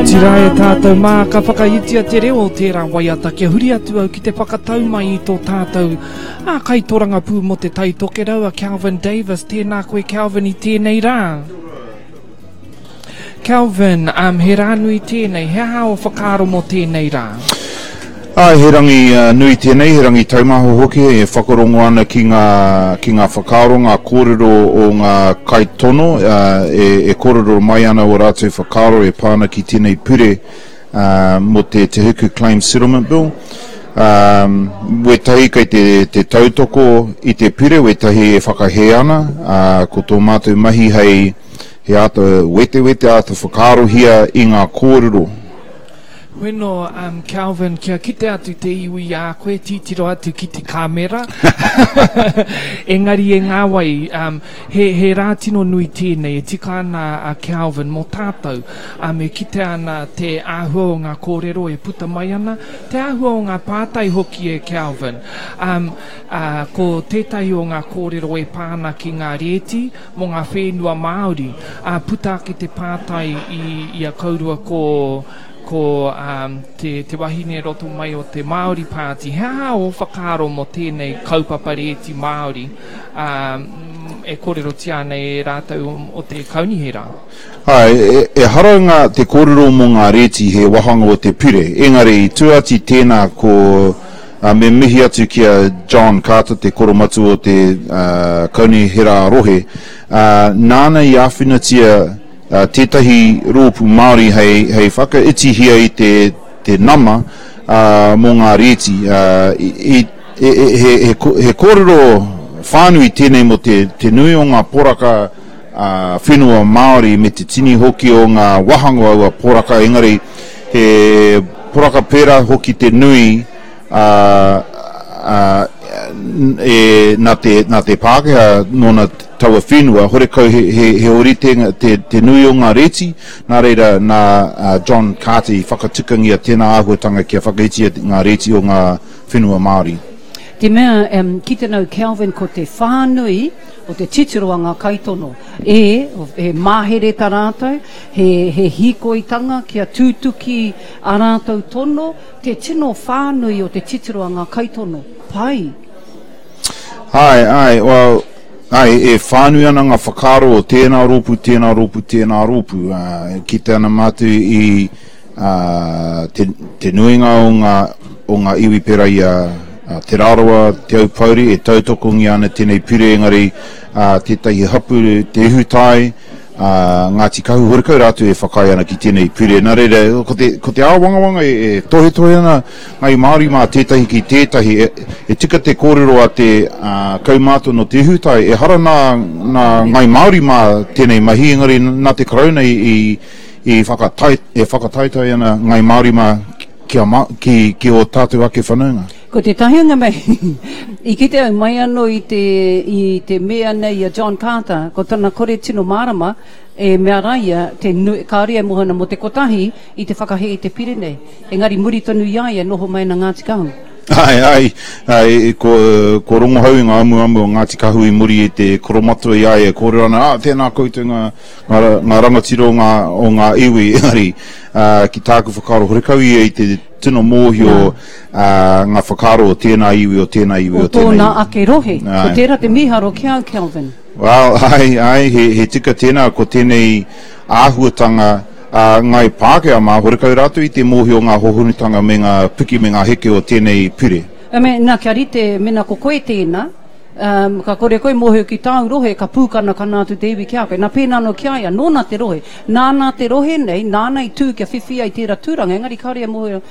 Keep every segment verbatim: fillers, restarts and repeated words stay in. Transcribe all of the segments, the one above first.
Kāti rā e tātou mā, ka whakaitia te reo o tērā waiata kia huri atu au ki te whakatau mai i tō tātou ā, kaitorangapū mō te Tai Tokerau a Kelvin Davis. Tēnā koe Kelvin i tēnei rā. Kelvin, um, he rā nui tēnei, he aha o whakaaro mō tēnei rā? Āe, he rangi nui tēnei, he rangi taumaha hoki e whakarongo ana ki ngā, ki ngā whakaaro, ngā kōrero o ngā kaitono e, e kōrero mai ana ō rātou whakaaro e pā ana ki tēnei pure mō te Te Hiku Claim Settlement Bill. Um, wētahi kei te, te tautoko i te pure, wētahi e whakahē ana, uh, ko tō mātou mahi hei he āta wetewete, āta whakaarohia i ngā kōrero. Bueno, um, Kelvin, kia kite atu te iwi i a koe, titiro atu ki te kāmera. Engari e ngā wai, um, he, he rā tino nui tēnei, e tika ana a Kelvin mō tātou. Um, e kite ana te āhua o ngā kōrero e puta mai ana, te āhua o ngā pātai hoki e Kelvin. Um, uh, ko tētahi o ngā kōrero e pā ana ki ngā rēti mō ngā whenua Māori. Uh, puta ake te pātai i, i a kaurua ko ko um, te, te wahine roto mai o te Māori Party. He aha o whakaaro mō tēnei kaupapa rēti Māori um, e kōrerotia ana e rātou o, o te kaunihera? Ai, e, e hara ngā te kōrero mō ngā rēti he wāhanga o te pure. Engari, i tua atu tēnā ko uh, me mihi atu ki a John Carter, te koromatua o te uh, kaunihera rohe, uh, nāna i āwhinatia uh, tētahi rōpū Māori hei, hei whakaitihia i te, te nama uh, mō ngā rēti. Uh, i, i, e, e, he, he, he kōrero whānui tēnei mō te, te nui o ngā poraka uh, whenua Māori me te tini hoki o ngā wāhanga o aua poraka, engari he poraka pērā hoki te nui uh, uh, e, nā te, nā te Pākehā nōna taua whenua, horekau he, he, he ōrite te, te nui o ngā rēti, nā reira nā uh, John Carter i whakatukangia tēnā āhuatanga kia whakaitia ngā rēti o ngā whenua Māori. Te mea, um, ki te nau Kelvin, ko te whānui o te titiro a ngā kaitono. E, he mahere tā rātou, he, he hīkoitanga kia tūtuki a rātou tono, te tino whānui o te titiro a ngā kaitono. Pai. Ai, ai, well, ai, e whānui ana ngā whakaaro o tēnā rōpū, tēnā rōpū, tēnā rōpū. Uh, ki te ana mātou i uh, te, te nuinga o ngā, o ngā iwi pērā i a uh, Te Rarawa, Te Aupōuri, e tautokongia ana tēnei pure, engari uh, tētahi hapu, Te Ihutai, uh, Ngāti Kahu, horekau rātou e whakaae ana ki tēnei pure. Nā reira, ko te, ko te āwangawanga e, e tohetohe ana Ngai Māori mā tētahi ki tētahi, e, e tika te kōrero a te uh, kaumātua no Te Ihutai, e hara nā, nā Ngai Māori mā tēnei mahi, engari nā te Karauna i, i, i whakatai, e whakataitai ana Ngai Māori mā ki, a, ki, ki o tātou ake whanaunga. Ko te tahi o ngā mahi, i kite au mai anō i te, i te mea nei a John Carter, ko tana kore tino mārama, e mea rā ia, te nui, kāore e mōhio ana mō te kotahi i te whakahē i te pire nei. Engari muri tonu i a ia noho mai ana Ngāti Kahu. Ai, ai, ai, ko, ko Rongohau i ngā amuamu o Ngāti Kahu i muri i te koromatua i a ia e kōrero ana, ah, tēnā koutou ngā, ngā, ngā rangatira o ngā, o ngā iwi, engari, uh, ki tāku whakaaro, horekau ia i te tino mōhio uh, ngā whakaaro o tēnā iwi, o tēnā iwi, o, o tēnā iwi. O tōna ake rohe. Ai. Ko tērā te mīharo ki au, Kelvin. Well, ai, ai, he, he tika tēnā, ko tēnei āhuatanga uh, ngai Pākehā mā, horekau rātou i te mōhio ngā hohonutanga me ngā piki me ngā heke o tēnei pure. I mean, nā, kia rite, mena ko koe tēnā, um, ka kore koe mōhio ki tāu rohe, ka pūkana kana atu te iwi ki a koe. Nā pēnā anō ki a ia, nōna te rohe. Nāna te rohe nei, nāna i tū kia whiwhi ai tērā tūranga, engari kāore e mōhio,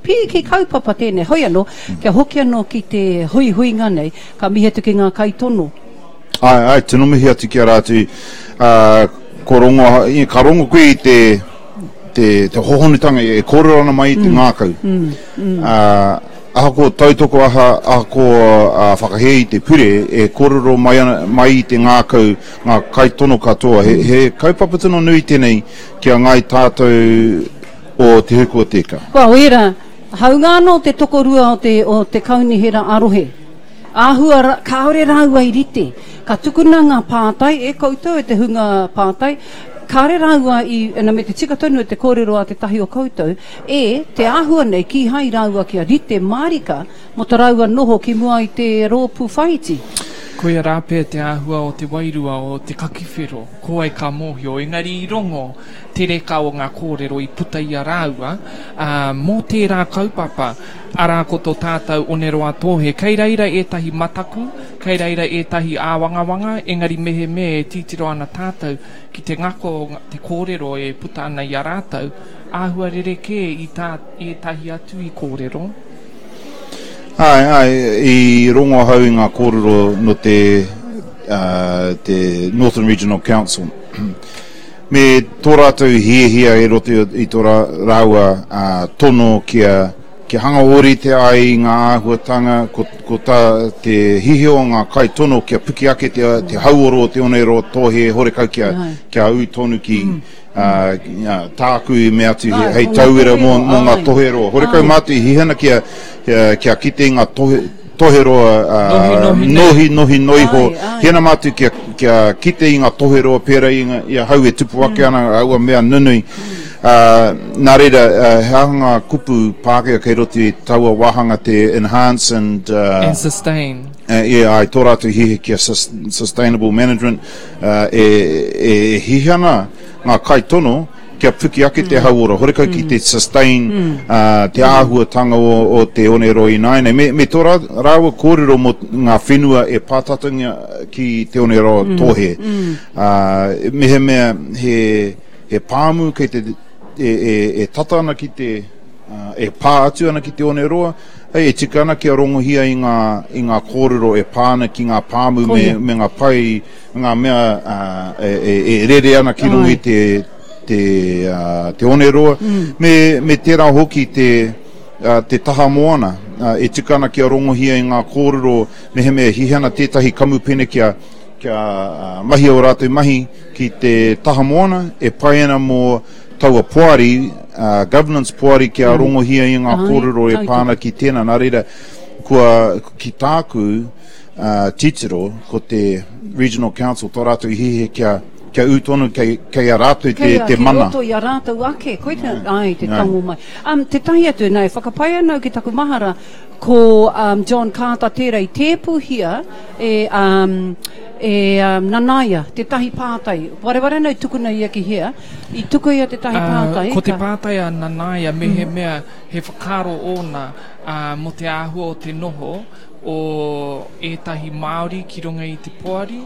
pīki kaupapa tēnei. Hoi anō, kia hoki anō ki te huihuinga nei, ka mihi atu ki ngā kaitono. Ai, ai, tino mihi atu ki a rātou. Uh, ko rongo, ka rongo koe i te, te, te hohonutanga e kōrero ana mai i te mm. ngākau. Mm, mm. Uh, ahakoa tautoko, aha, ahakoa uh, whakahē i te pure, e kōrero mai, ana, mai i te ngākau ngā kaitono katoa. He, he kaupapa tino nui tēnei ki a ngai tātou o Te Huku o Te Ika. Kua wera, haunga anō te tokorua o te, o te kaunihera a-rohe. Āhua, kāore rāua i rite. Ka tukuna ngā pātai e koutou, e te hunga pātai, Kāre rāua i, na me te tika tonu te kōrero a te tahi o koutou, e te āhua nei kīhai rāua kia rite mārika mō ta rāua noho ki mua i te rōpū whaiti. Koia rāpea te āhua o te wairua o te kakiwhero, ko ai ka mōhio, engari i rongo te reka o ngā kōrero i puta i a rāua, ā, mō tērā kaupapa, arā ko tō tātou Oneroa Tōhe. Kei reira ētahi mataku, kei reira ētahi āwangawanga, engari mehemea e titiro ana tātou ki te ngako o te kōrero e puta ana i a rātou, āhua rerekē i tā ētahi atu i kōrero. Āe, āe, i rongo ahau i ngā kōrero nō te, uh, te Northern Regional Council. Me tō rātou hiahia e roto i tō rāua uh, tono kia, kia hanga ōrite ai i ngā āhuatanga, ko, ko tā te hihio o ngā kaitono kia puki ake te, te hauoro o te Oneroa Tōhe horekau kia, kia ū tonu ki, mm. Uh, tāku i mea atu he, hei tauira mō, mō ngā toheroa. Horekau mātou i hihana kia, kia, kia kite i ngā tohe, toheroa uh, nohi, nohi, nohi noiho. Hihana mātou kia, kia kite i ngā toheroa pērā i, ngā, i a hau e tupu ake ana, aua mea nunui. Uh, nā reira, uh, he aha ngā kupu Pākehā kei roto i taua wāhanga te enhance and... Uh, and sustain. Uh, yeah, ai, tō rātou hihi kia sus sustainable management uh, e, e, e hihana ngā kaitono kia puki ake te hauora, horekau ki te sustain mm. uh, te āhuatanga o, o te Oneroa ināianei. Me, me tō rā, rāua kōrero mō ngā whenua e pātatangia ki te Oneroa mm. Tōhe. Mm. Uh, mehemea he, he pāmu kei te, e, e, e tata ana ki te, uh, e pā atu ana ki te Oneroa, hei, e tika ana kia rongohia i ngā, i ngā kōrero e pā ana ki ngā pāmu me, me ngā pai, ngā mea uh, e, e, e rere ana ki runga i te, te, uh, te Oneroa, mm. me, me tērā hoki te, uh, te taha moana. Uh, e tika ana kia rongohia i ngā kōrero mehemea hihana tētahi kamupene kia, kia uh, mahi o rātou mahi ki te taha moana, e pai ana mō taua poari, uh, governance poari kia mm. rongohia i ngā kōrero e pā ana ki tēnā. Nā reira, kua, ki tāku uh, titiro, ko te Regional Council, tō rātou hihi kia, kia ū tonu kei, kei a rātou te, kei a, te mana. Kei roto i a rātou ake, koe te, ai, te tango mai. Um, te tahi atu, nei, whakapai anau ki taku mahara, ko um, John Carter tērā i tēpuhia e, um, e um, Nanaia, te tahi pātai. Wareware anau tukuna ia ki hea, i tuku ia te tahi pātai. Uh, ko te pātai a Nanaia, mehemea he whakaaro ōna uh, mō te āhua o te noho o ētahi Māori ki runga i te poari,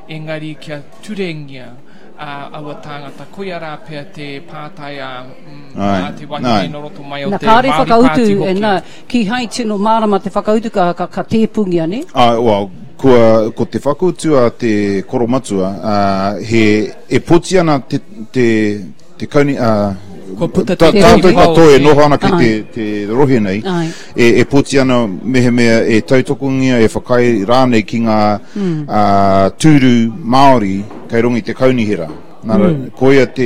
engari kia turengia uh, aua tāngata. Koia rā pea te pātai a, mm, a te wahine nō roto mai o na, te Māori Pāti hoki. Na, ki hai tino mārama te whakautu ka, ka, ka tēpungia, ne? Uh, well, kua, ko te whakautu a te koromatua, uh, he, e poti ana te, te, te kauni... Uh, Kua puta te tātou katoa e noho ana ki te, te rohe nei, e, e poti ana mehemea e tautokongia, e whakaae rānei ki ngā mm. uh, tūru Māori kei runga i te kaunihera. Nā, mm. koia te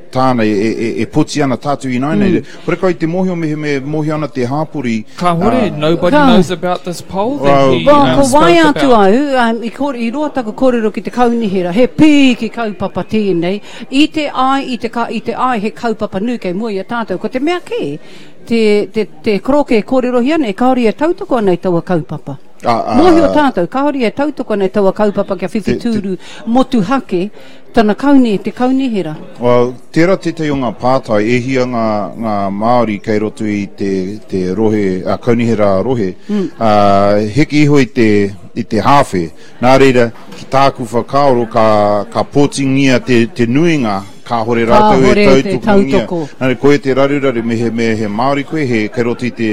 tāna e, e, e poti ana tātou ināianei. Mm. Horekau i te mōhio mehemea mōhio ana te hāpori. Kāhore, uh, nobody ka. knows about this poll that well, he well, um, ko spoke wai atu about. Au, um, i, kore, i roa taku kōrero ki te kaunihera, he pīki kaupapa tēnei, i te ai, i te, ka, i te ai he kaupapa nui kei mua i a tātou. Ko te mea kē, te, te, te koroke kōrerohia nei, kāore e tautoko ana i taua kaupapa. Ah, ah, Mōhio tātou, kāore e tautoko ana i taua kaupapa kia whiwhi tūru motuhake, tana kauni, te kaunihera. Well, tērā tētahi o ngā pātai, e hia ngā, ngā Māori kei roto i te, te rohe, a, kaunihera a rohe, mm. uh, heke iho i te, i te hāwhe. Nā reira, ki tāku whakaaro, ka, ka pōtingia te, te nuinga, kāhore rātou e tautokongia. Nā reira, koe te raruraru, me he, me he Māori koe, he kei roto i te,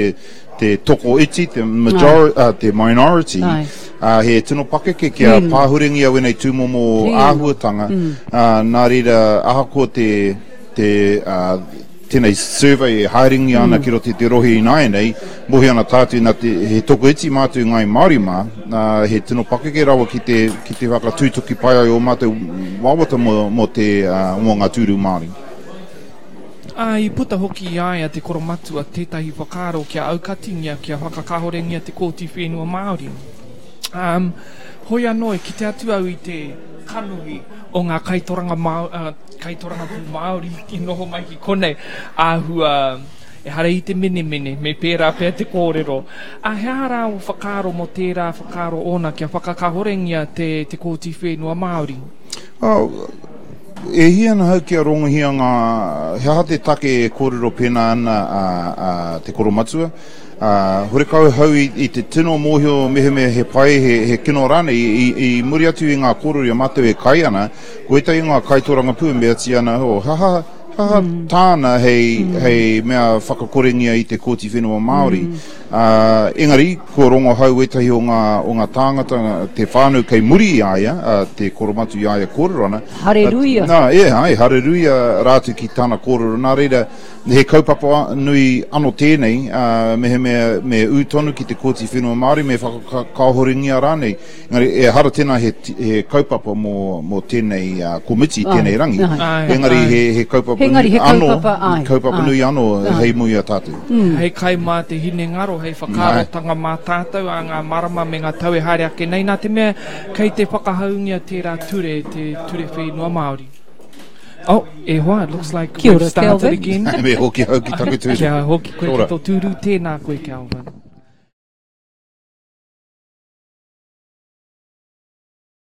te toko iti, te, majority, uh, te minority, uh, he tino pakeke kia mm. pāhurengia wēnei tūmomo āhuatanga. Mm. Uh, nā reira, ahakoa te, te, uh, tēnei survey e haerengia ana mm. ki roto i te rohe ināianei, mohi ana tātou nā te, he toko iti mātou ngai Māori mā, uh, he tino pakeke rawa ki te, ki te whakatūtuki pai ai o mātou wawata mō, mō, te, uh, mō ngā tūru Māori. Ā, i puta hoki i a ia te koromatua tētahi whakaaro kia aukatingia, kia whakakahorengia te kōti whenua Māori. Um, hoi anō, e kite atu au i te kanohi o ngā kaitoranga Māo, uh, kaitorangapū Māori i noho mai ki konei, āhua, ehara i te menemene, me pērā pea te kōrero. A he aha rā o whakaaro mō tērā whakaaro ōna kia whakakahorengia te, te Kōti Whenua Māori? Oh, e hia ana hau kia rongohia ngā, he aha te take e kōrero pēnā ana a, a te koromatua. Ā, horekau hau i, i te tino mōhio mehemea he pai, he, he kino rānei, i, i muri atu i ngā kōrero i a mātou e kai ana, ko ētahi o ngā kaitōrangapū e meatia ana, oh, he aha, he aha tāna hei, hei mea whakakorengia i te Kōti Whenua Māori. Ā, engari, kua rongo hau ētahi o ngā, o ngā tāngata, te whānau kei muri i a ia, ā, te koromatu i a ia kōrero ana. Hareruia! Nā, e, āe, hareruia rātou ki tana kōrero. Nā reira, He kaupapa nui ano tēnei, ā, mehemea me ū tonu ki te Kōti Whenua Māori, me whakakāhorengia rānei. Engari, ehara tēnā he, he kaupapa mō, mō tēnei komiti, tēnei rangi. Āe, Engari, āe. he, he kaupapa Engari, nui he ano, kaupapa, āe, kaupapa āe, nui ano āe. hei mui a tātou. Hei kai mā te hinengaro, hei whakaarotanga mā tātou ā ngā marama me ngā tau e haere ake nei, nā te mea kei te whakahaungia tērā ture, te Ture Whenua Māori. Oh, e hoa, it looks like Kia we've ora, started Kelvin. again. Me hoki au ki taku tūru. Kia hoki koe Kia ki ora. tō tūru, tēnā koe, Kelvin.